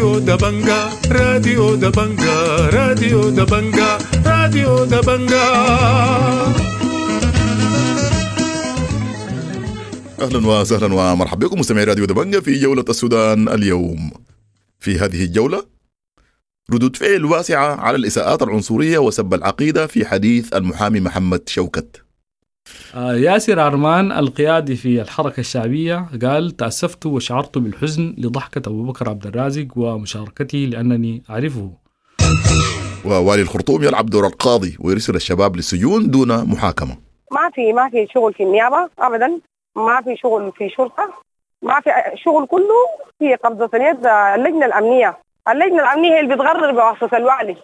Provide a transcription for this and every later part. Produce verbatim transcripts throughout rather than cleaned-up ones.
راديو دبنجا، راديو دبنجا، راديو دبنجا، راديو دبنجا. أهلا وسهلا ومرحبا بكم مستمعي راديو دبنجا في جولة السودان اليوم. في هذه الجولة ردود فعل واسعة على الإساءات العنصرية وسب العقيدة في حديث المحامي محمد شوكت. ياسر عرمان القيادي في الحركة الشعبية قال: تأسفت وشعرت بالحزن لضحكة أبو بكر عبد الرازق ومشاركته لأنني أعرفه. ووالي الخرطوم يلعب دور القاضي ويرسل الشباب للسجون دون محاكمة. ما في ما في شغل في النيابة أبدا، ما في شغل في شرطة، ما في شغل، كله في قبضة اليد اللجنة الأمنية. اللجنة الأمنية هي اللي بتغرر بواسطة الوالي.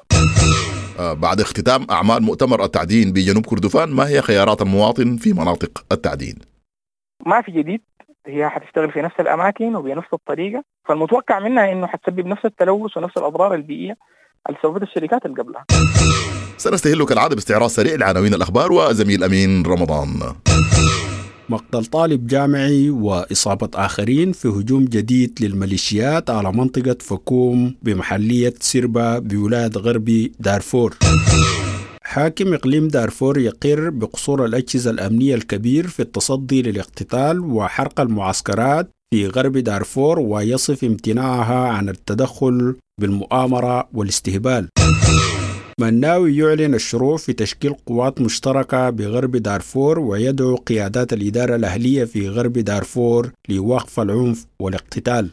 بعد اختتام أعمال مؤتمر التعدين بجنوب كردفان، ما هي خيارات المواطن في مناطق التعدين؟ ما في جديد، هي حتشتغل في نفس الأماكن وبنفس الطريقة، فالمتوقع منها إنه حتسبب نفس التلوث ونفس الأضرار البيئية اللي سببتها الشركات اللي قبلها. سنستهل كالعادة باستعراض سريع لعناوين الأخبار وزميل أمين رمضان. مقتل طالب جامعي وإصابة آخرين في هجوم جديد للميليشيات على منطقة فكوم بمحلية سيربا بولاية غربي دارفور. حاكم إقليم دارفور يقر بقصور الأجهزة الأمنية الكبير في التصدي للاقتتال وحرق المعسكرات في غرب دارفور، ويصف امتناعها عن التدخل بالمؤامرة والاستهبال. مناوي يعلن الشروع في تشكيل قوات مشتركة بغرب دارفور ويدعو قيادات الإدارة الأهلية في غرب دارفور لوقف العنف والاقتتال.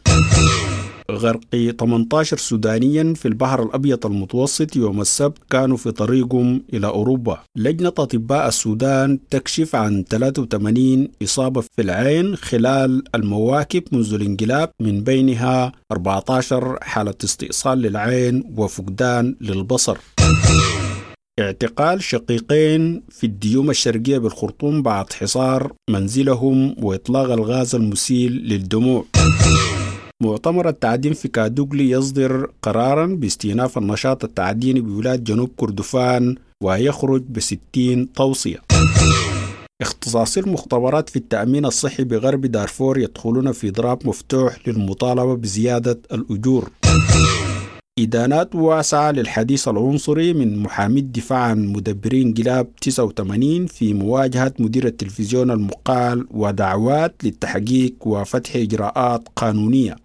غرق ثمانية عشر سودانيا في البحر الأبيض المتوسط يوم السبت كانوا في طريقهم إلى أوروبا. لجنة أطباء السودان تكشف عن ثلاثة وثمانين إصابة في العين خلال المواكب منذ الانقلاب، من بينها أربعة عشر حالة استئصال للعين وفقدان للبصر. اعتقال شقيقين في الديوم الشرقية بالخرطوم بعد حصار منزلهم وإطلاق الغاز المسيل للدموع. مؤتمر التعدين في كادوغلي يصدر قرارا باستئناف النشاط التعديني بولاية جنوب كردفان ويخرج بستين توصية. اختصاصي المختبرات في التأمين الصحي بغرب دارفور يدخلون في إضراب مفتوح للمطالبة بزيادة الأجور. إدانات واسعة للحديث العنصري من محامي الدفاع عن مدبرين انقلاب تسعة وثمانين في مواجهة مدير التلفزيون المقال ودعوات للتحقيق وفتح إجراءات قانونية.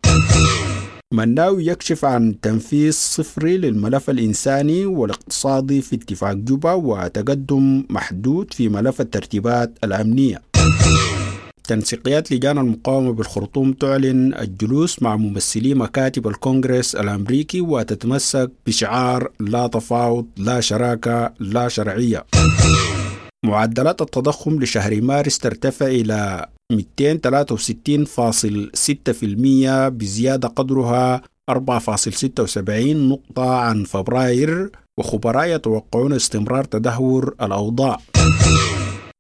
مناوي يكشف عن تنفيذ صفري للملف الإنساني والاقتصادي في اتفاق جوبا وتقدم محدود في ملف الترتيبات الأمنية. تنسيقيات لجان المقاومة بالخرطوم تعلن الجلوس مع ممثلي مكاتب الكونغرس الأمريكي وتتمسك بشعار لا تفاوض لا شراكة لا شرعية. معدلات التضخم لشهر مارس ترتفع إلى مئتين وثلاثة وستين فاصل ستة بالمئة بزيادة قدرها أربعة فاصل ستة وسبعين نقطة عن فبراير، وخبراء يتوقعون استمرار تدهور الأوضاع.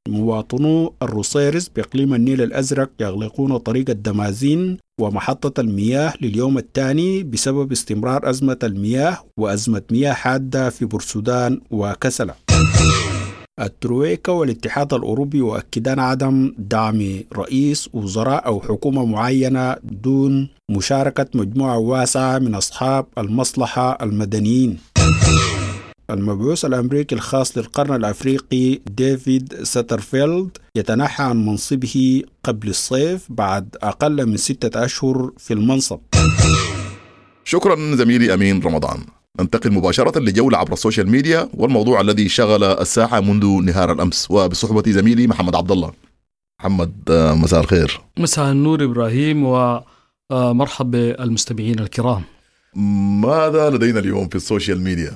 مواطنو الروصيرص بإقليم النيل الأزرق يغلقون طريق الدمازين ومحطة المياه لليوم الثاني بسبب استمرار أزمة المياه وأزمة مياه حادة في بورسودان وكسلة. الترويكا والاتحاد الأوروبي يؤكدان عدم دعم رئيس وزراء أو حكومة معينة دون مشاركة مجموعة واسعة من أصحاب المصلحة المدنيين. المبعوث الأمريكي الخاص للقرن الأفريقي ديفيد ساترفيلد يتنحى عن منصبه قبل الصيف بعد أقل من ستة أشهر في المنصب. شكرا زميلي أمين رمضان. ننتقل مباشرة لجولة عبر السوشيال ميديا والموضوع الذي شغل الساحة منذ نهار الأمس، وبصحبة زميلي محمد عبد الله. محمد، مساء الخير. مساء النور إبراهيم، ومرحب بالمستمعين الكرام. ماذا لدينا اليوم في السوشيال ميديا؟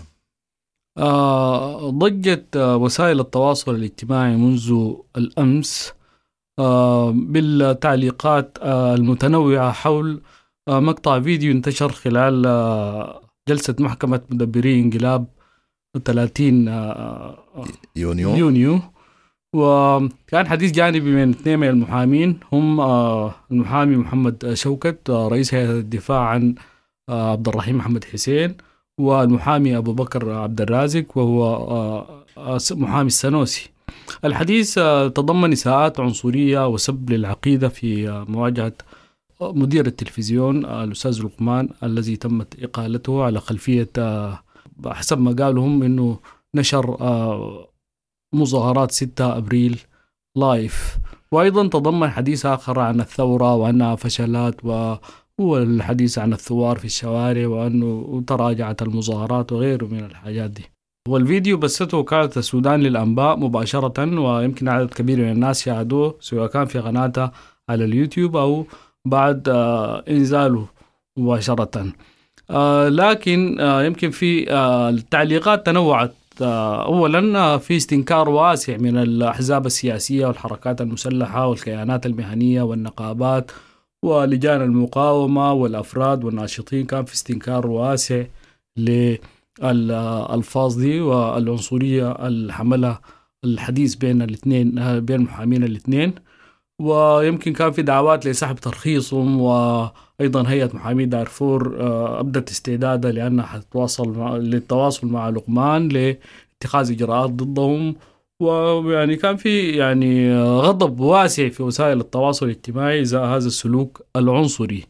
آه ضجت وسائل التواصل الاجتماعي منذ الأمس آه بالتعليقات آه المتنوعة حول آه مقطع فيديو انتشر خلال آه جلسة محكمة مدبري انقلاب ثلاثين آه يونيو. يونيو، وكان حديث جانبي من اثنين من المحامين، هم آه المحامي محمد شوكت آه رئيس هيئة الدفاع عن آه عبد الرحيم محمد حسين، والمحامي أبو بكر عبد الرازق وهو محامي السنوسي. الحديث تضمن إساءات عنصرية وسب للعقيدة في مواجهة مدير التلفزيون الأستاذ لقمان الذي تمت إقالته على خلفية حسب ما قالوا هم أنه نشر مظاهرات ستة أبريل لايف. وأيضا تضمن حديث آخر عن الثورة وأنها فشلت، والحديث عن الثوار في الشوارع وأنه تراجعت المظاهرات وغيره من الحاجات دي. والفيديو بثته وكالة السودان للأنباء مباشرة، ويمكن عدد كبير من الناس شاهدوه سواء كان في قناتها على اليوتيوب أو بعد إنزاله مباشرة. لكن يمكن في التعليقات تنوعت. أولا في استنكار واسع من الأحزاب السياسية والحركات المسلحة والكيانات المهنية والنقابات ولجان المقاومة والأفراد والناشطين، كان في استنكار واسع للألفاظ دي والعنصرية اللي حملها الحديث بين الاثنين، بين المحامين الاثنين. ويمكن كان في دعوات لسحب ترخيصهم، وأيضا هيئة محامي دارفور أبدت استعدادها لأنها حتتواصل مع للتواصل مع لقمان لاتخاذ إجراءات ضدهم. ويعني كان في يعني غضب واسع في وسائل التواصل الاجتماعي إزاء هذا السلوك العنصري.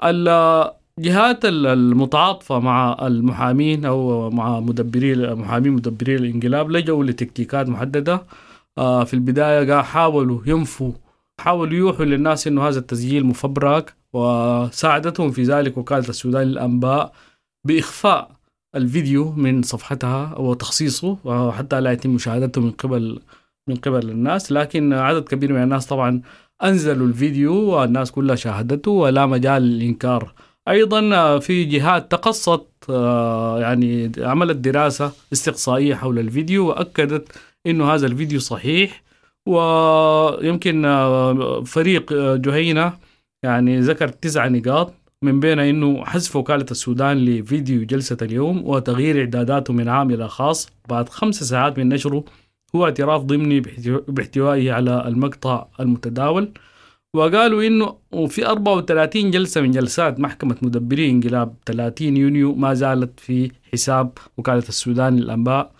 الجهات المتعاطفة مع المحامين أو مع مدبري محامين مدبري الانقلاب لجأوا لتكتيكات محددة. في البداية حاولوا ينفوا، حاولوا يوحوا للناس إنه هذا التسجيل مفبرك، وساعدتهم في ذلك وكالة السودان للأنباء بإخفاء الفيديو من صفحتها وتخصيصه حتى لا يتم مشاهدته من قبل من قبل الناس. لكن عدد كبير من الناس طبعا أنزلوا الفيديو والناس كلها شاهدته ولا مجال للإنكار. أيضا في جهات تقصت، يعني عملت دراسة استقصائية حول الفيديو وأكدت إنه هذا الفيديو صحيح. ويمكن فريق جهينة يعني ذكر تسع نقاط من بين إنه حذف وكالة السودان لفيديو جلسة اليوم وتغيير إعداداته من عام إلى خاص بعد خمس ساعات من نشره هو اعتراف ضمني باحتوائه على المقطع المتداول. وقالوا إنه في أربعة وثلاثين جلسة من جلسات محكمة مدبري انقلاب ثلاثين يونيو ما زالت في حساب وكالة السودان للأنباء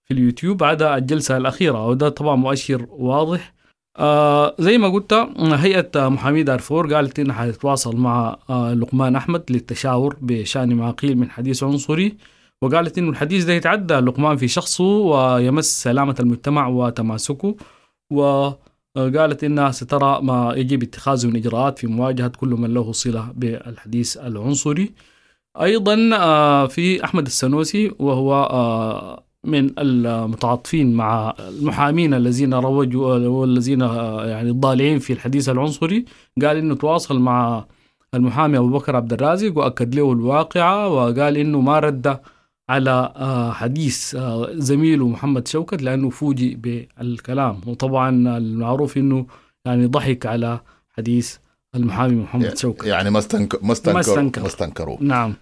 في اليوتيوب عدا الجلسة الأخيرة، وده طبعا مؤشر واضح. آه زي ما قلت هيئة محامي دارفور قالت إنها حتتواصل مع آه لقمان أحمد للتشاور بشأن ما قيل من حديث عنصري، وقالت إنه الحديث ده يتعدى لقمان في شخصه ويمس سلامة المجتمع وتماسكه، وقالت إنها سترى ما يجب اتخاذه من إجراءات في مواجهة كل من له صلة بالحديث العنصري. أيضا آه في أحمد السنوسي وهو آه من المتعاطفين مع المحامين الذين روجوا والذين يعني الضالعين في الحديث العنصري، قال إنه تواصل مع المحامي أبو بكر عبد الرازق وأكد له الواقعة، وقال إنه ما رد على حديث زميله محمد شوكت لأنه فوجئ بالكلام، وطبعا المعروف إنه يعني ضحك على حديث المحامي محمد شوكت، يعني ما استنكر ما استنكر ما استنكروا. نعم.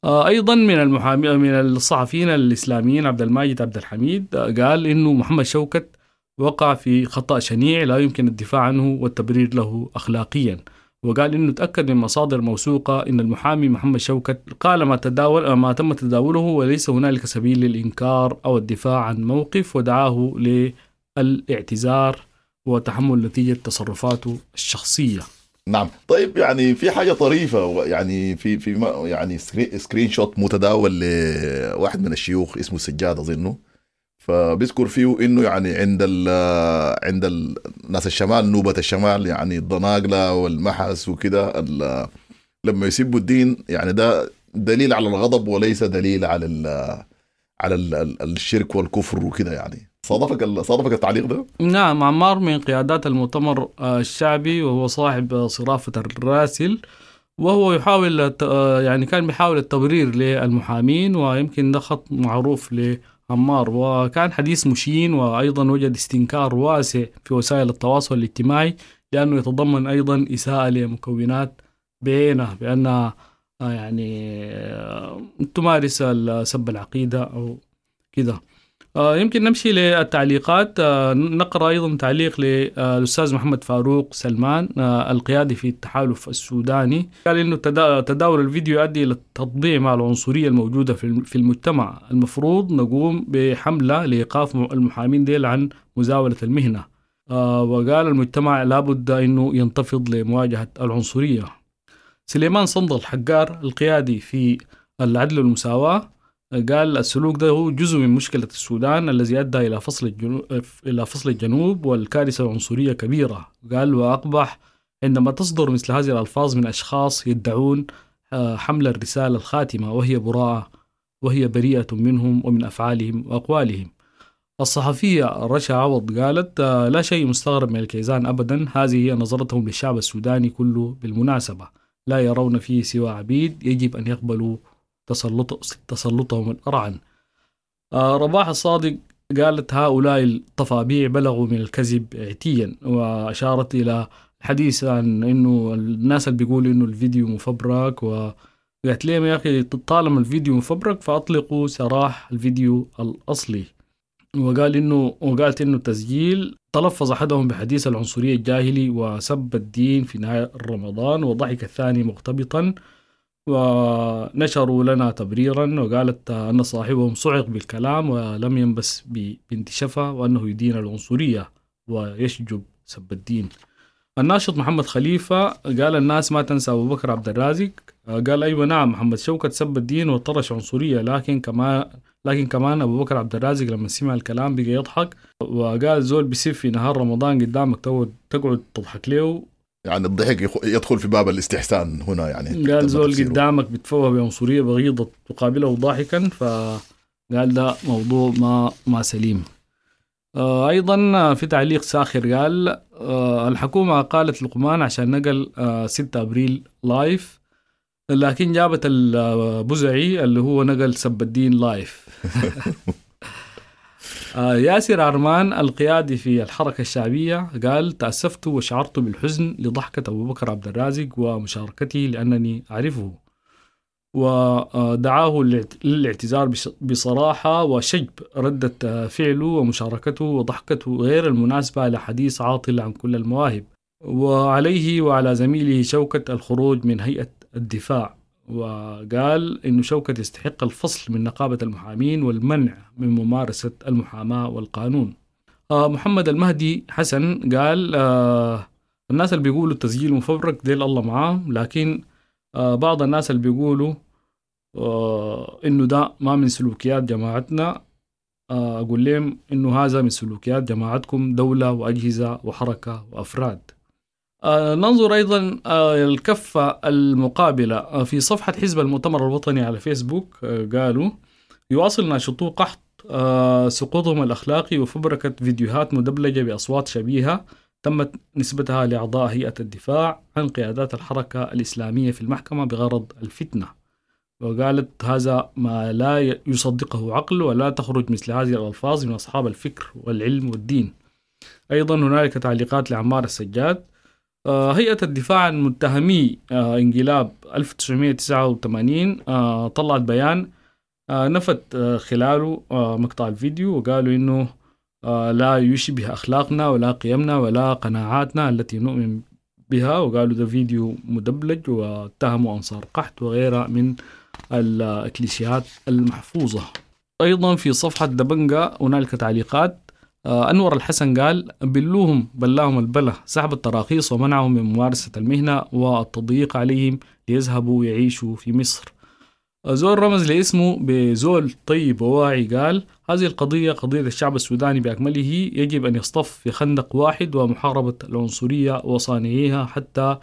أيضا من المحامي من الصحفيين الإسلاميين عبد الماجد عبد الحميد قال إنه محمد شوكت وقع في خطأ شنيع لا يمكن الدفاع عنه والتبرير له أخلاقيا، وقال إنه تأكد من مصادر موثوقة إن المحامي محمد شوكت قال ما تداول ما تم تداوله وليس هنالك سبيل للإنكار أو الدفاع عن موقف، ودعاه للاعتذار وتحمل نتيجة تصرفاته الشخصية. نعم. طيب يعني في حاجة طريفة، يعني في في يعني screenshot متداول لواحد من الشيوخ اسمه سجاد أظنه، فبيذكر فيه إنه يعني عند ال عند الناس الشمال، نوبة الشمال، يعني الضناقلة والمحس وكده، لما يسبوا الدين يعني ده دليل على الغضب وليس دليل على ال على ال الشرك والكفر وكده. يعني صادفك صادفك التعليق ده؟ نعم، عمار من قيادات المؤتمر الشعبي وهو صاحب صرافة الراسل، وهو يحاول يعني كان بيحاول التبرير للمحامين، ويمكن ده خط معروف لعمار، وكان حديث مشين، وأيضا وجد استنكار واسع في وسائل التواصل الاجتماعي لأنه يتضمن أيضا إساءة لمكونات بعينه بأنها يعني تمارس سب العقيدة أو كده. يمكن نمشي للتعليقات. نقرأ أيضا تعليق للأستاذ محمد فاروق سلمان القيادي في التحالف السوداني، قال إنه تداول الفيديو يؤدي إلى التطبيع مع العنصرية الموجودة في المجتمع، المفروض نقوم بحملة لإيقاف المحامين ديل عن مزاولة المهنة. آه، وقال المجتمع لابد أنه ينتفض لمواجهة العنصرية. سليمان صندل حقار القيادي في العدل والمساواة قال السلوك ده هو جزء من مشكلة السودان الذي أدى إلى فصل الجنوب, إلى فصل الجنوب والكارثة العنصرية كبيرة. قال وأقبح عندما تصدر مثل هذه الألفاظ من أشخاص يدعون حمل الرسالة الخاتمة وهي براءة وهي بريئة منهم ومن أفعالهم وأقوالهم. الصحفية رشا عوض قالت لا شيء مستغرب من الكيزان أبدا، هذه هي نظرتهم للشعب السوداني كله بالمناسبة، لا يرون فيه سوى عبيد يجب أن يقبلوا تسلط تسلطهم الأرعن. رباح الصادق قالت هؤلاء الطفابيع بلغوا من الكذب عتيا، وأشارت إلى الحديث عن إنه الناس اللي بيقولوا إنه الفيديو مفبرك، وقالت لهم يا أخي طالما الفيديو مفبرك فأطلقوا سراح الفيديو الأصلي. وقال إنه وقالت إنه التسجيل تلفظ أحدهم بحديث العنصرية الجاهلي وسب الدين في نهاية رمضان، وضحك الثاني مغتبطا، ونشروا لنا تبريرا. وقالت أن صاحبهم صعق بالكلام ولم ينبس ببنت شفا، وأنه يدين العنصرية ويشجب سب الدين. الناشط محمد خليفة قال الناس ما تنسى أبو بكر عبد الرازق. قال أيوة نعم، محمد شوكت سب الدين وطرش عنصرية، لكن كمان لكن كمان أبو بكر عبد الرازق لما سمع الكلام بقى يضحك، وقال زول بيسف في نهار رمضان قدامك تقعد تضحك له، يعني الضحك يدخل في باب الاستحسان هنا. يعني قال زول قدامك بتفوه بعنصرية بغيضة تقابله ضاحكا، فقال ده موضوع ما ما سليم. أيضا في تعليق ساخر قال الحكومة قالت لقمان عشان نقل ستة أبريل live، لكن جابت البزعي اللي هو نقل سب الدين live. ياسر عرمان القيادي في الحركة الشعبية قال تأسفت وشعرت بالحزن لضحكة أبو بكر عبد الرازق ومشاركته لأنني أعرفه، ودعاه للاعتذار بصراحة وشجب ردة فعله ومشاركته وضحكته غير المناسبة لحديث عاطل عن كل المواهب، وعليه وعلى زميله شوكت الخروج من هيئة الدفاع. وقال إنه شوكت يستحق الفصل من نقابة المحامين والمنع من ممارسة المحاماة والقانون. محمد المهدي حسن قال الناس اللي بيقولوا التسجيل مفبرك ديل الله معاهم، لكن بعض الناس اللي بيقولوا إنه ده ما من سلوكيات جماعتنا، أقول لهم إنه هذا من سلوكيات جماعتكم، دولة وأجهزة وحركة وأفراد. ننظر أيضا الكفة المقابلة في صفحة حزب المؤتمر الوطني على فيسبوك. قالوا يواصل ناشطو قحط سقوطهم الأخلاقي وفبركة فيديوهات مدبلجة بأصوات شبيهة تمت نسبتها لأعضاء هيئة الدفاع عن قيادات الحركة الإسلامية في المحكمة بغرض الفتنة. وقالت هذا ما لا يصدقه عقل، ولا تخرج مثل هذه الألفاظ من أصحاب الفكر والعلم والدين. أيضا هنالك تعليقات لعمار السجاد. هيئة الدفاع عن متهمي انقلاب ألف وتسعمائة وتسعة وثمانين طلعت بيان نفت خلاله مقطع الفيديو، وقالوا إنه لا يشبه أخلاقنا ولا قيمنا ولا قناعاتنا التي نؤمن بها، وقالوا ده فيديو مدبلج، واتهموا أنصار قحط وغيرها من الكليشيهات المحفوظة. أيضا في صفحة دبنجة هنالك تعليقات. أنور الحسن قال بلوهم بلاهم البلا، سحب التراخيص ومنعهم من ممارسة المهنة والتضييق عليهم ليذهبوا يعيشوا في مصر. زول رمز لاسمه بزول طيب وواعي قال هذه القضية قضية الشعب السوداني بأكمله، يجب أن يصطف في خندق واحد ومحاربة العنصرية وصانعيها، حتى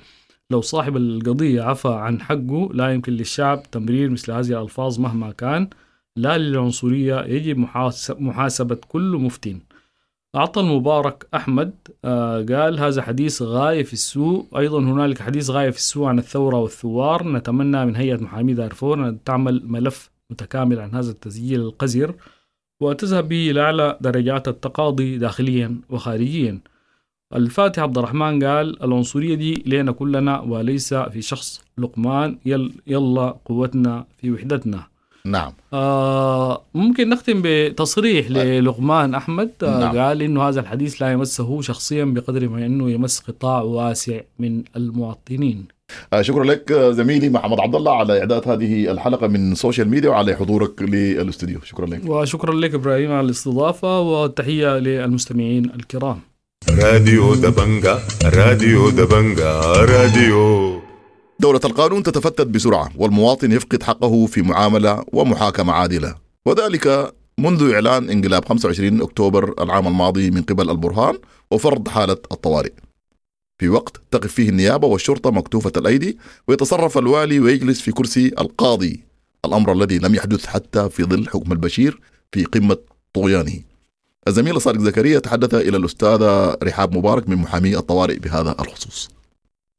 لو صاحب القضية عفى عن حقه لا يمكن للشعب تمرير مثل هذه الألفاظ مهما كان. لا للعنصرية، يجب محاسبة كل مفتن. أعطى المبارك أحمد قال هذا حديث غاية في السوء. أيضا هنالك حديث غاية في السوء عن الثورة والثوار، نتمنى من هيئة محامي دارفور أن تعمل ملف متكامل عن هذا التسجيل القذر وتذهب به إلى أعلى درجات التقاضي داخليا وخارجيا. الفاتح عبد الرحمن قال العنصرية دي لنا كلنا وليس في شخص لقمان، يل يلا قوتنا في وحدتنا. نعم. آه ممكن نختم بتصريح للقمان أحمد. آه نعم. قال إنه هذا الحديث لا يمسه شخصيا بقدر ما إنه يمس قطاع واسع من المواطنين. آه شكرا لك زميلي محمد عبد الله على إعداد هذه الحلقة من social media وعلى حضورك للاستوديو. شكرا لك. وشكرا لك إبراهيم على الاستضافة، وتحية للمستمعين الكرام. راديو دبنجا، راديو دبنجا، راديو. دولة القانون تتفتت بسرعة والمواطن يفقد حقه في معاملة ومحاكمة عادلة، وذلك منذ إعلان انقلاب خمسة وعشرين أكتوبر العام الماضي من قبل البرهان وفرض حالة الطوارئ، في وقت تقف فيه النيابة والشرطة مكتوفة الأيدي ويتصرف الوالي ويجلس في كرسي القاضي، الأمر الذي لم يحدث حتى في ظل حكم البشير في قمة طغيانه. الزميل صادق زكريا تحدث إلى الأستاذة رحاب مبارك من محامي الطوارئ بهذا الخصوص.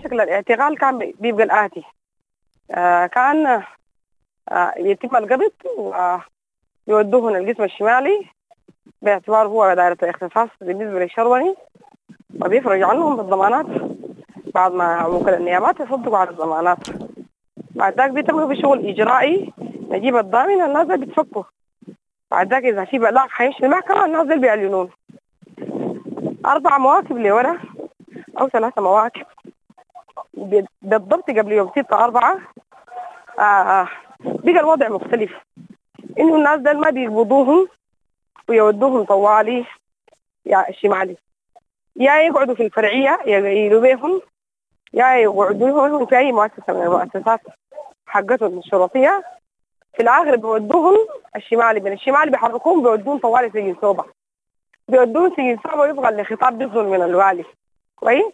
شكل الاعتقال كان بيبقى الآتي، آه كان آه يتم القبض ويودوهن القسم الشمالي باعتباره هو دائرة الاختصاص بالنسبة للشروني، وبيفرج عنهم بالضمانات بعد ما وكلاء النيابات يصدقوا على الضمانات. بعد ذاك بيتم بشغل إجرائي، نجيب الضامن، الناس بيتفكوا. بعد ذاك إذا في بلاغ حيمشي المحكمة، الناس دي بيعلنون. أربع مواكب لورا أو ثلاثة مواكب بالضبط قبل يوم ستة أربعة آه بقى الوضع مختلف، إنه الناس دول ما بيقبضوهم ويودوهم طوالي يا الشمالي، يا يقعدوا في الفرعية يقيلوا بيهم، يا يقعدوا في أي مؤسسة من المؤسسات حقتهم الشرطية. في الآخر بيودوهم الشمالي، من الشمالي بيحركوهم بيودوهم طوالي سجن سوبا، بيودوهم سجن سوبا ويبقى الخطاب بيصدر من الوالي. كويس،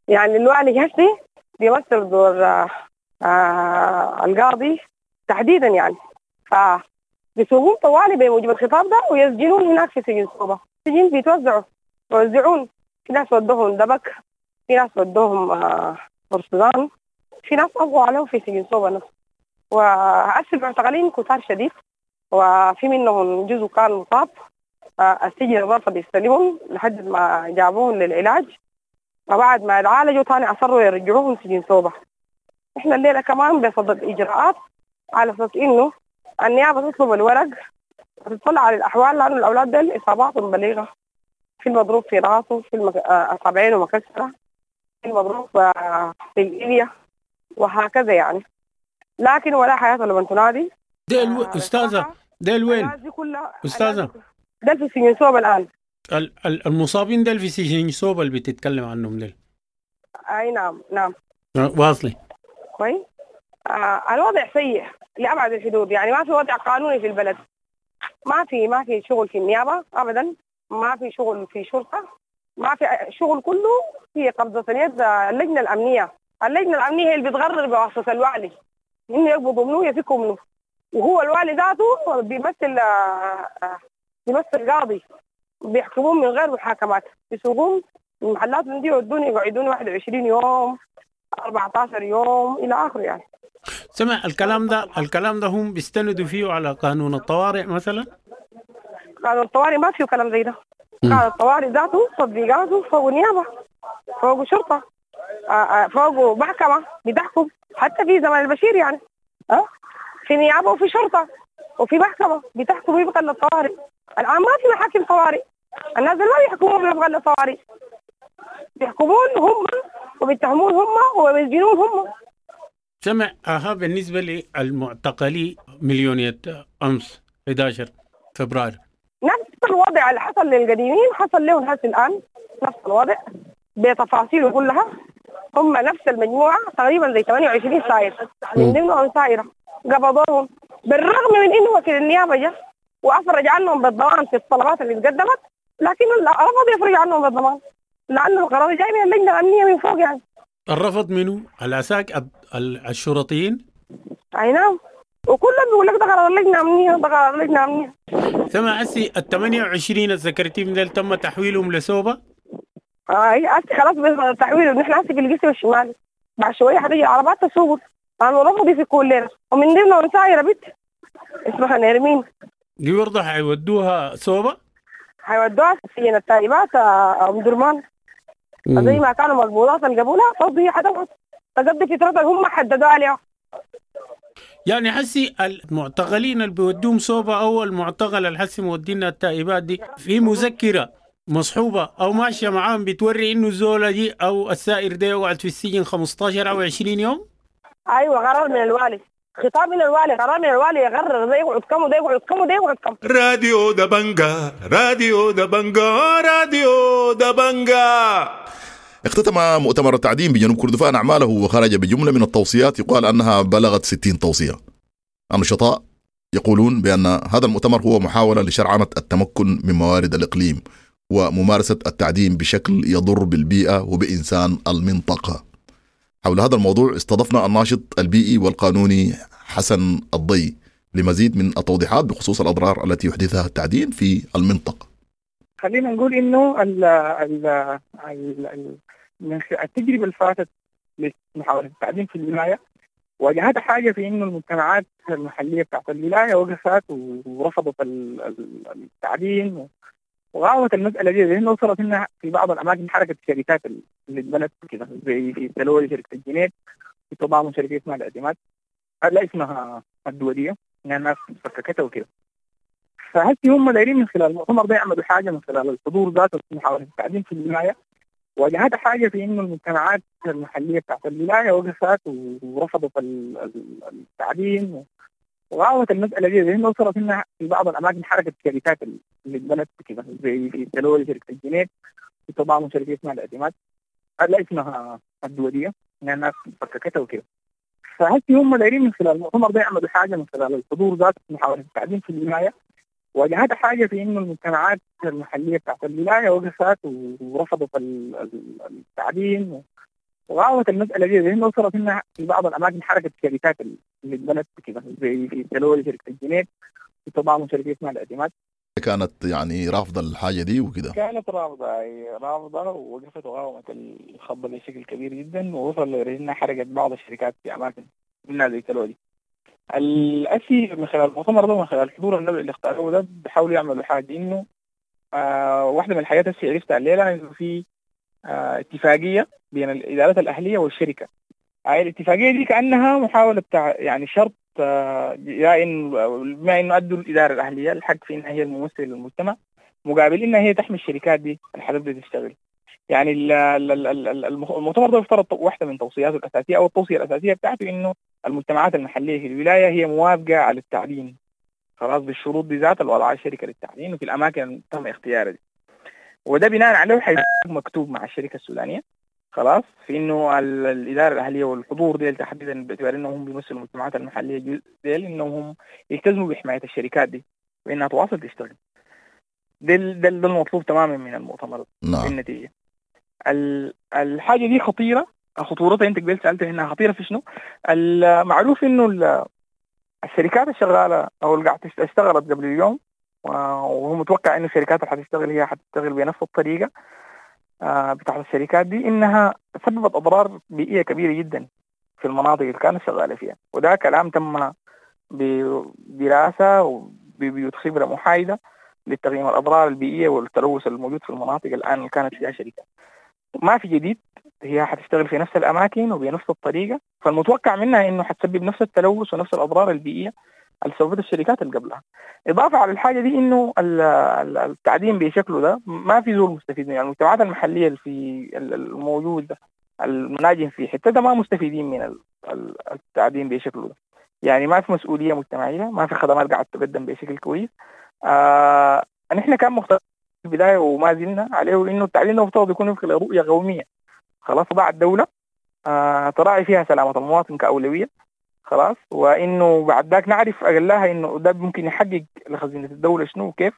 يعني الوالي هسي بيمثل دور آه آه القاضي تحديدا يعني، فبيسوقون طوالي بموجب الخطاب ده ويسجنون هناك في سجن سوبا. سجن بيتوزعوا بيوزعون، في ناس ودوهم دبك، في ناس ودوهم آه برسودان، في ناس أبقوا عليهم في سجن سوبا نفسه. وهسه المعتقلين كتار شديد، وفي منهم جزء كان مصاب، آه السجن رفض يستلمهم لحد ما جابوهم للعلاج، وبعد ما اتعالجوا تاني أصروا يرجعوهم سجن سوبا. احنا الليلة كمان بصدد إجراءات على أساس إنه النيابة تطلب الورق وتطلع على الأحوال، لأنه الأولاد دول إصاباتهم بليغة، في المضروب في راسه، في المك... أصابعينه مكسرة، في المضروب في الإلية وهكذا يعني، لكن ولا حياة لمن تنادي. ديل و... أستاذة ديل وين؟ أستاذة ديل في سجن سوبا الآن. المصابين ديل في سجن سوبا اللي بتتكلم عنهم ديل. أي نعم نعم. واصلي. كويس. آه الوضع سيء لأبعد الحدود، يعني ما في وضع قانوني في البلد، ما في ما في شغل في النيابة أبدا، ما في شغل في شرطة، ما في شغل، كله في قبضة اليد اللجنة الأمنية. اللجنة الأمنية هي اللي بتغرر بواسطة الوالي إنه يقبضوا منه يفكوا منه، وهو الوالي ذاته بيمثل آه بيمثل قاضي، بيحكمون من غير محاكمات، بيسوقون من محلات من دي يودون يقعدون واحد وعشرين يوم أربعة عشر يوم إلى آخره يعني. سمع الكلام ده، الكلام ده هم بيستندوا فيه على قانون الطوارئ مثلا؟ قانون الطوارئ ما فيه كلام زي ده. قانون الطوارئ ذاته تطبيقاته فوق نيابة، فوق شرطة، فوق محكمة بتحكم، حتى في زمن البشير يعني أه؟ في نيابة وفي شرطة وفي محكمة بتحكم ويبقى للطوارئ. الآن ما في محاكم طوارئ، الناس ما بيحكمون ويبقى للطوارئ، بيحكمون هم وبيتهمون هم وبيسجنون هم. سمع أها بالنسبة للمعتقلي مليونية أمس أحد عشر فبراير، نفس الوضع اللي حصل للقديمين حصل لهم هسه الآن، نفس الوضع بتفاصيله كلها. هم نفس المجموعة تقريبا زي ثمانية وعشرين سائر من ضمنهم سائرة قبضوهم، بالرغم من إنه وكيل النيابة جاء وأفرج عنهم بالضمان في الطلبات اللي تقدمت، لكن رفض يفرج عنهم بالضمان لأنه القرار جاي من اللجنة الأمنية من فوق يعني. الرفض منه العساك الشرطيين؟ أي نعم، وكلهم بيقول لك ده قرار اللجنة الأمنية، ده قرار اللجنة الأمنية. سمع هسي ال ثمانية وعشرين الذكرتي من تم تحويلهم لسوبا؟ اي هسي خلاص بس تحويلهم، نحن هسي في القسم الشمالي، بعد شوية حتيجي العربات تسوق، أنا رفضوا يفكوا لنا، ومن ضمنهم سايرة بنت اسمها نرمين. دي برضه حيودوها سوبا؟ حيودوها سجن التائبات أم درمان، زي ما كانوا مقبوضات القبولة برضه هي حتقعد تقضي فترتها هم حددوها عليها. يعني حسي المعتقلين اللي بيودوهم سوبا أو المعتقل اللي حسي مودينا التائبات دي في مذكرة مصحوبة أو ماشية معاهم بتوري إنه الزولة دي أو السائر ده يقعد في السجن خمستاشر أو عشرين يوم؟ أيوة قرار من الوالي، خطاب من الوالي، قرار من الوالي يقرر ده يقعد كم وده يقعد كم وده يقعد كم. راديو دبنجا، راديو دبنجا، راديو دبنجا. اختتم مؤتمر التعدين بجنوب كردفان أعماله وخرج بجملة من التوصيات يقال أنها بلغت ستين توصية. النشطاء يقولون بأن هذا المؤتمر هو محاولة لشرعنة التمكن من موارد الإقليم وممارسة التعدين بشكل يضر بالبيئة وبإنسان المنطقة. حول هذا الموضوع استضفنا الناشط البيئي والقانوني حسن الضي لمزيد من التوضيحات بخصوص الأضرار التي يحدثها التعدين في المنطقة. خلينا نقول إنه ال ال ال من التجربة اللي فاتت لمحاولة التعدين في الولاية واجهتها حاجة في إنه المجتمعات المحلية بتاعت الولاية وقفت ورفضت التعدين وغاوت المسألة دي، لأنه وصلت إنها في بعض الأماكن حركة الشركات اللي اتبنت كده زي في تلولي شركة الجنيد، في تضامن شركة اسمها الاعتماد، لا اسمها الدولية، إنها الناس فككتها وكده. فهسي هم دايرين من خلال المؤتمر ده يعملوا حاجة من خلال الحضور ذاته في محاولة التعدين في الولاية. واجهتها حاجة في إنه المجتمعات المحلية بتاعت الولاية وقفت ورفضت التعدين وغاوت المسألة دي، لأنه وصلت إنها في بعض الأماكن حركة الشركات اللي اتبنت كده زي في تلولي شركة الجنيد، في تضامن شركة اسمها الاعتماد، لا اسمها الدولية، إنها الناس فككتها وكده. فهسي هم دايرين من خلال المؤتمر ده يعملوا حاجة من خلال الحضور ذاته في محاولة التعدين في الولاية. واجهتها حاجة في إنه المجتمعات المحلية بتاعت الولاية وقفت ورفضت التعدين وغاوت المسألة دي، لأنه وصلت إنها في بعض الأماكن حركة الشركات اللي اتبنت كده زي في تلولي شركة الجنيد، في تضامن شركة اسمها الاعتماد. كانت يعني رافضة الحاجة دي وكده. كانت رافضة رافضة ووقفت وقاومت الخط بشكل كبير جدا، ووصل لأنها حركت بعض الشركات في أماكن منها زي تلولي. الأسي من خلال المؤتمر ده ومن خلال حضور النبي اللي اختاروه ده بيحاولوا يعملوا حاجة إنه آه واحدة من الحاجات اللي عرفتها الليلة إنه في آه اتفاقية بين الإدارات الأهلية والشركة. آه الاتفاقية دي كأنها محاولة بتاع يعني شرط آه يا إن بما إنه أدوا الإدارة الأهلية الحق في إنها هي الممثل للمجتمع مقابل إنها هي تحمي الشركات دي اللي حتبدأ تشتغل. يعني المؤتمر ده افترض واحدة من توصياته الأساسية أو التوصية الأساسية بتاعته إنه المجتمعات المحلية في الولاية هي موافقة على التعدين خلاص بالشروط دي ذات اللي وضعها الشركة للتعدين وفي الأماكن اللي تم اختيارها دي، وده بناء عليه حيكون مكتوب مع الشركة السودانية خلاص في إنه الإدارة الأهلية والحضور ديل تحديدا باعتبار إنهم هم بيمثلوا المجتمعات المحلية ديل إنهم هم يلتزموا بحماية الشركات دي وإنها تواصل تشتغل. ده ده المطلوب تماما من المؤتمر. نعم. النتيجة الحاجة دي خطيرة، خطورتها انت قبل سألت انها خطيرة في شنو؟ المعروف انه الشركات الشغالة او اللي قاعدة اشتغلت قبل اليوم، وهو متوقع انه الشركات اللي حتشتغل هي حتشتغل بنفس الطريقة بتاعت الشركات دي، انها سببت اضرار بيئية كبيرة جدا في المناطق اللي كانت شغالة فيها، وده كلام تم بدراسة وببيوت خبرة محايدة لتقييم الاضرار البيئية والتلوث الموجود في المناطق الان اللي كانت فيها شركات. ما في جديد، هي حتشتغل في نفس الأماكن وبنفس الطريقة، فالمتوقع منها إنه حتسبب نفس التلوث ونفس الأضرار البيئية اللي سببتها الشركات اللي قبلها. إضافة على الحاجة دي إنه التعدين بشكله ده ما في زول مستفيد منه، يعني المجتمعات المحلية اللي في الموجود ده المناجم في حتة ده ما مستفيدين من التعدين بشكله ده، يعني ما في مسؤولية مجتمعية، ما في خدمات قاعدة تقدم بشكل كويس. آه نحن كان مختلف في البداية وما زلنا عليه إنه التعدين ده مفترض يكون وفق لرؤية قومية خلاص ضاع الدولة آه تراعي فيها سلامة المواطن كأولوية خلاص، وإنه بعد ذاك نعرف أقلها إنه ده ممكن يحقق لخزينة الدولة شنو وكيف،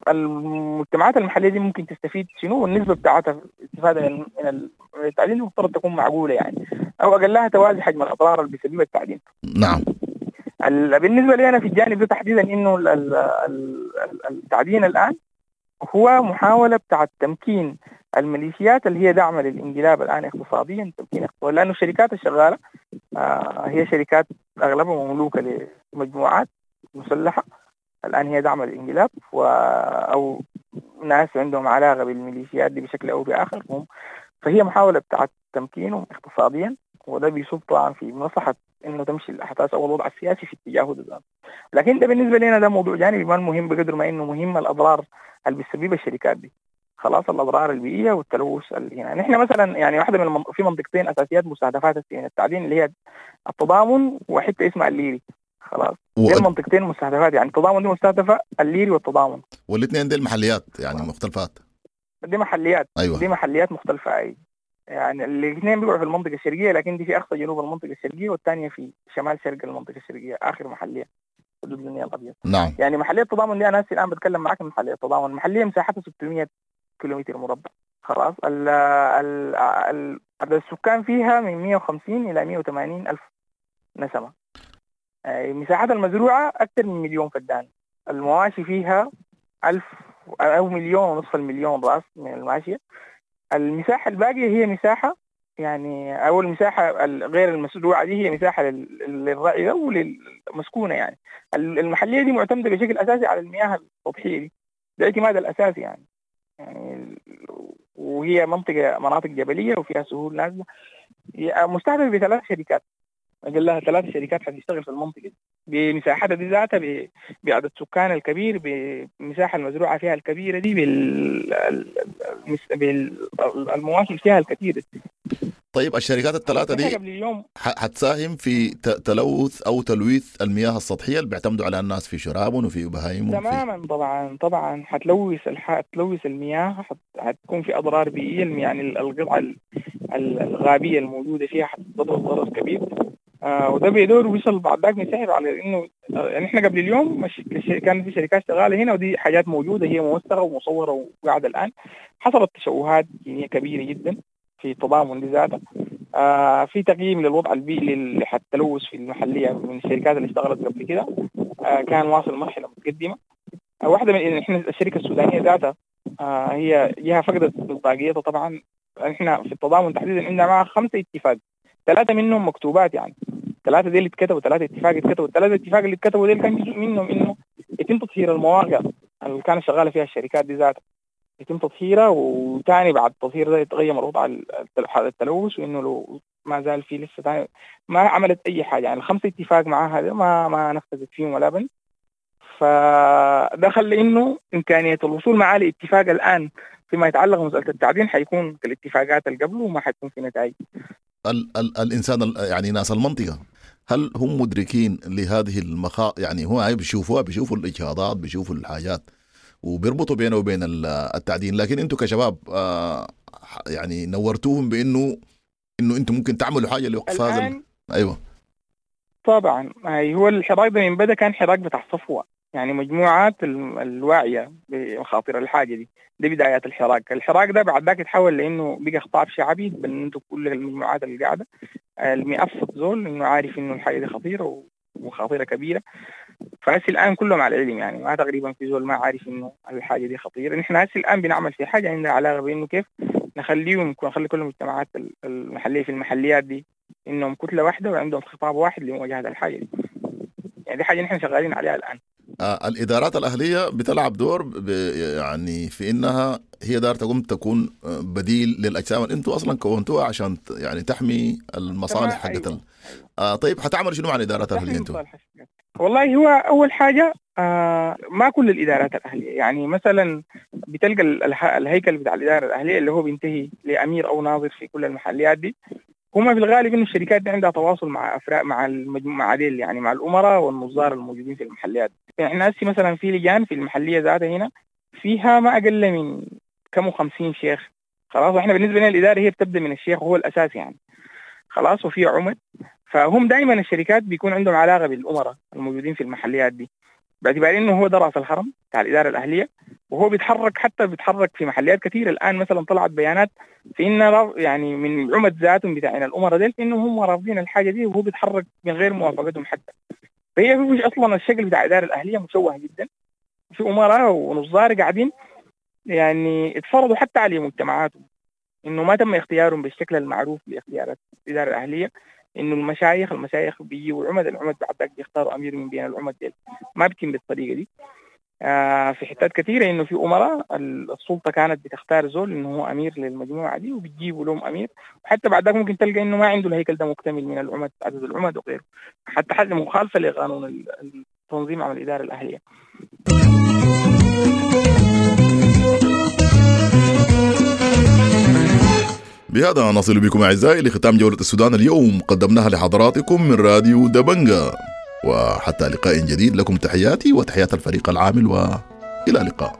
والمجتمعات المحلية دي ممكن تستفيد شنو، والنسبة بتاعتها استفادة من التعدين المفترض تكون معقولة يعني، أو أقلها توازي حجم الأضرار اللي بيسببها التعدين. نعم. بالنسبة لي أنا في الجانب ده تحديدا إنه التعدين الآن هو محاولة بتاعت تمكين الميليشيات اللي هي داعمة للانقلاب الآن اقتصاديا، تمكين اقتصادي، لأنه الشركات الشغالة آه هي شركات أغلبها مملوكة لمجموعات مسلحة الآن هي داعمة للانقلاب و أو ناس عندهم علاقة بالميليشيات دي بشكل أو بآخر هم، فهي محاولة بتاعت تمكينهم اقتصاديا، وده بيصب طبعا في مصلحة إنه تمشي الأحداث أو الوضع السياسي في اتجاهه ده. لكن ده بالنسبة لنا ده موضوع جانبي ما مهم بقدر ما إنه مهم الأضرار اللي بتسببها الشركات دي. خلاص الاضرار البيئية والتلوث اللي هنا. نحن مثلا يعني واحدة من المن... في منطقتين اساسيات مستهدفات من التعدين اللي هي التضامن وحتة اسمها الليري. خلاص و... دي المنطقتين مستهدفات، يعني التضامن دي مستهدفه، الليري والتضامن، والاثنين دي المحليات يعني مختلفات، دي محليات. ايوه دي محليات مختلفة. اي يعني الاثنين بيقعوا في المنطقة الشرقية، لكن دي في اقصى جنوب المنطقة الشرقية والثانية في شمال شرق المنطقة الشرقية، اخر محليه حدود النيل الابيض. نعم. يعني محليه التضامن دي انا الان بتكلم معاك من محليه التضامن، محليه مساحتها ستمية كيلومتر مربع. خلاص ال ال ال عدد السكان فيها من مية وخمسين الى مية وثمانين الف نسمه. مساحتها المزروعه اكثر من مليون فدان، المواشي فيها ألف او مليون ونصف المليون راس من الماشية. المساحة الباقية هي مساحة يعني أول مساحة غير المزروعة دي هي مساحة للرعي وللمسكونة. يعني المحلية دي معتمدة بشكل أساسي على المياه السطحية دي، ده الاعتماد الأساسي يعني يعني وهي منطقة مناطق جبلية وفيها سهول نازلة. مستهدفة بثلاث شركات، أقل لها ثلاث شركات حتشتغل في المنطقة دي بمساحتها دي ذاتها، بعدد سكان الكبير، بمساحة المزروعة فيها الكبيرة دي، بالمواشي فيها الكثيرة. طيب الشركات الثلاثة دي حتساهم في تلوث أو تلويث المياه السطحية اللي بيعتمدوا على الناس في شرابهم وفي بهايمهم؟ تماما طبعا طبعا حتلوث حتلوث المياه، حتكون في أضرار بيئية، يعني القطعة الغابية الموجودة فيها حتضرر ضرر كبير. آه وده بيدور ويصل بعد ذاك نسحب على انه يعني احنا قبل اليوم مش كان في شركات شغالة هنا، ودي حاجات موجودة هي موثقة ومصوره وقاعدة الان. حصلت تشوهات جينية كبيرة جدا في التضامن لذاته. آه في تقييم للوضع البيئي للتلوث في المحلية من الشركات اللي اشتغلت قبل كده، آه كان واصل مرحلة متقدمة. آه واحدة من احنا الشركة السودانية ذاتها آه هي جهة فقدت مصداقيتها طبعا. احنا في التضامن تحديدا عندنا معها خمسة اتفاق، ثلاثة منهم مكتوبات، يعني ثلاثة دي اللي اتكتبوا، ثلاثة اتفاق اتكتبوا، الثلاثة اتفاق اللي اتكتبوا دي كان جزء منهم انه يتم تطهير المواقع اللي كانت شغالة فيها الشركات دي ذاتها، يتم تطهيرها، وثاني بعد التطهير ده يتغير الوضع التلوث، وانه لو ما زال في لسه ثاني ما عملت اي حاجة. يعني الخمسة اتفاق معاها ده ما ما نفذت فيهم ولا بند. فدخل لانه امكانية الوصول معاه لاتفاق الان فيما يتعلق بمسألة التعدين حيكون كالاتفاقات اللي قبله وما حيكون في نتائج. ال ال الإنسان يعني ناس المنطقة هل هم مدركين لهذه المخا يعني هو بيشوفوها، بيشوفوا الإجهاضات، بيشوفوا الحاجات وبيربطوا بينه وبين التعدين، لكن انتم كشباب آه يعني نورتوهم بانه انه انتم ممكن تعملوا حاجة لوقف هذا ال... ايوه طبعا. هو الحراك ده من بدا كان حراك بتاع صفوة، يعني مجموعات الواعية بمخاطر الحاجة دي، دي بدايات الحراك. الحراك ده بعد ذاك يتحول لأنه بقى خطاب شعبي بنته كل المجموعات اللي قاعدة المئفص زول إنه عارف إنه الحاجة دي خطيرة وخطيرة كبيرة. فهسي الآن كلهم على العلم، يعني ما تقريبا في زول ما عارف إنه الحاجة دي خطيرة. نحن هسي الآن بنعمل في حاجة عندها علاقة بإنه كيف نخليهم نخلي كل المجتمعات المحلية في المحليات دي إنهم كتلة واحدة وعندهم خطاب واحد لمواجهة الحاجة دي. يعني دي حاجة نحن شغالين عليها الآن. آه الإدارات الأهلية بتلعب دور ب يعني في إنها هي دار تقوم تكون بديل للأجسام اللي أنتوا أصلا كونتوها عشان يعني تحمي المصالح حقت. أيوة. آه طيب حتعمل شنو مع الإدارات الأهلية أنتوا؟ والله هو أول حاجة آه ما كل الإدارات الأهلية، يعني مثلا بتلقى الهيكل بتاع الإدارة الأهلية اللي هو بينتهي لأمير أو ناظر في كل المحليات دي، هما في الغالب إنه الشركات دي عندها تواصل مع أفراد مع المجموعة دي، يعني مع الأمراء والنظار الموجودين في المحليات. يعني إحنا هسي مثلا في لجان في المحلية ذاتها هنا فيها ما أقل من كم وخمسين شيخ. خلاص احنا بالنسبة لنا الإدارة هي بتبدأ من الشيخ وهو الأساس يعني. خلاص وفي عمد، فهم دائما الشركات بيكون عندهم علاقة بالأمراء الموجودين في المحليات دي، باعتبار إنه هو ده رأس الهرم بتاع الإدارة الأهلية، وهو بيتحرك حتى بيتحرك في محليات كثيرة. الآن مثلا طلعت بيانات في إن يعني من عمد ذاتهم بتاعين الأمراء ديل إنه هم رافضين الحاجة دي، وهو بيتحرك من غير موافقتهم حتى. فهي مش أصلا الشكل بتاع الإدارة الأهلية مشوه جدا، في أمراء ونظار قاعدين يعني اتفرضوا حتى على مجتمعاتهم إنه ما تم اختيارهم بالشكل المعروف لاختيارات الإدارة الأهلية، إنه المشايخ المشايخ بيجوا عمد، العمد بعد ذاك بيختاروا أمير من بين العمد ديل، ما بتم بالطريقة دي. آه في حتات كثيرة إنه في أمراء السلطة كانت بتختار زول إنه هو أمير للمجموعة دي وبتجيبوا لهم أمير، وحتى بعد ذاك ممكن تلقى إنه ما عنده الهيكل ده مكتمل من العمد، عدد العمد وغيره، حتى حاجة مخالفة لقانون التنظيم عمل الإدارة الأهلية. بهذا نصل بكم أعزائي لختام جولة السودان اليوم، قدمناها لحضراتكم من راديو دبنجا، وحتى لقاء جديد لكم تحياتي وتحيات الفريق العامل، وإلى اللقاء.